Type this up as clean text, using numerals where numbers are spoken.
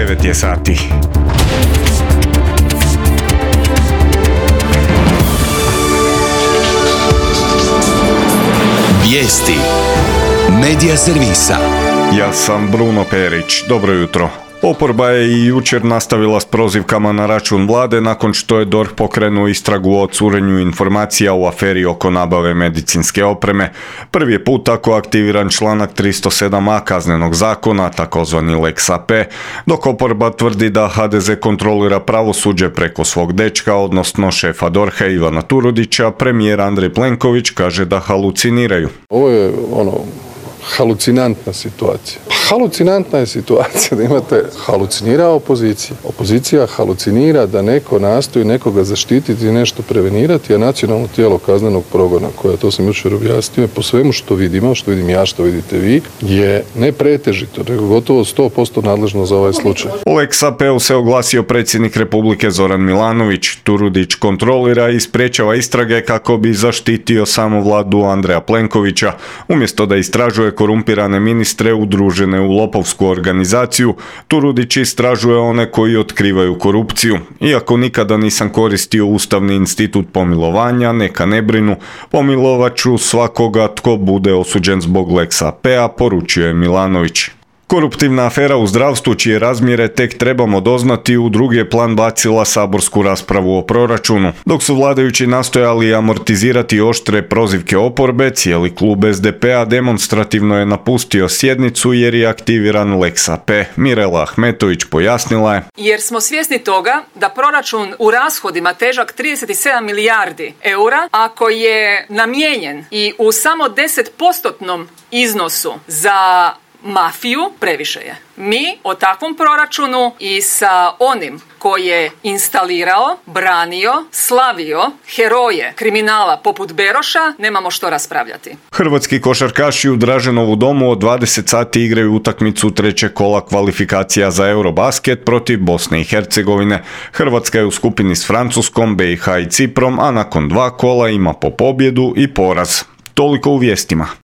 9 je sati. Vijesti Medija servisa. Ja sam Bruno Perić. Dobro jutro. Oporba je i jučer nastavila s prozivkama na račun vlade nakon što je DORH pokrenuo istragu o curenju informacija u aferi oko nabave medicinske opreme. Prvi je put tako aktiviran članak 307a Kaznenog zakona, takozvani Lex AP, dok oporba tvrdi da HDZ kontrolira pravosuđe preko svog dečka, odnosno šefa DORH-a Ivana Turudića, premijer Andrej Plenković kaže da haluciniraju. Ovo je halucinantna situacija. Halucinantna je situacija da imate halucinira opozicija. Opozicija halucinira da neko nastoji nekoga zaštititi i nešto prevenirati, a nacionalno tijelo kaznenog progona, koje, to sam jučer objasnio, po svemu što vidimo, što vidim ja, što vidite vi, je ne pretežito, nego gotovo 100% nadležno za ovaj slučaj. U Lex AP-u se oglasio predsjednik Republike Zoran Milanović. Turudić kontrolira i sprječava istrage kako bi zaštitio samo vladu Andreja Plenkovića, umjesto da istražuje korumpirane ministre udružene u lopovsku organizaciju. Turudić istražuje one koji otkrivaju korupciju. Iako nikada nisam koristio ustavni institut pomilovanja, neka ne brinu, pomilovat ću svakoga tko bude osuđen zbog Lex AP-a, poručio je Milanović. Koruptivna afera u zdravstvu, čije razmjere tek trebamo doznati, u drugi je plan bacila saborsku raspravu o proračunu. Dok su vladajući nastojali amortizirati oštre prozivke oporbe, cijeli klub SDP-a demonstrativno je napustio sjednicu jer je aktiviran Lex AP. Mirela Ahmetović pojasnila je: jer smo svjesni toga da proračun u rashodima težak 37 milijardi eura, ako je namijenjen i u samo 10% iznosu za mafiju, previše je. Mi o takvom proračunu i sa onim koji je instalirao, branio, slavio heroje kriminala poput Beroša nemamo što raspravljati. Hrvatski košarkaši u Draženovu domu od 20 sati igraju utakmicu trećeg kola kvalifikacija za Eurobasket protiv Bosne i Hercegovine. Hrvatska je u skupini s Francuskom, BiH i Ciprom, a nakon 2 kola ima po pobjedu i poraz. Toliko u vijestima.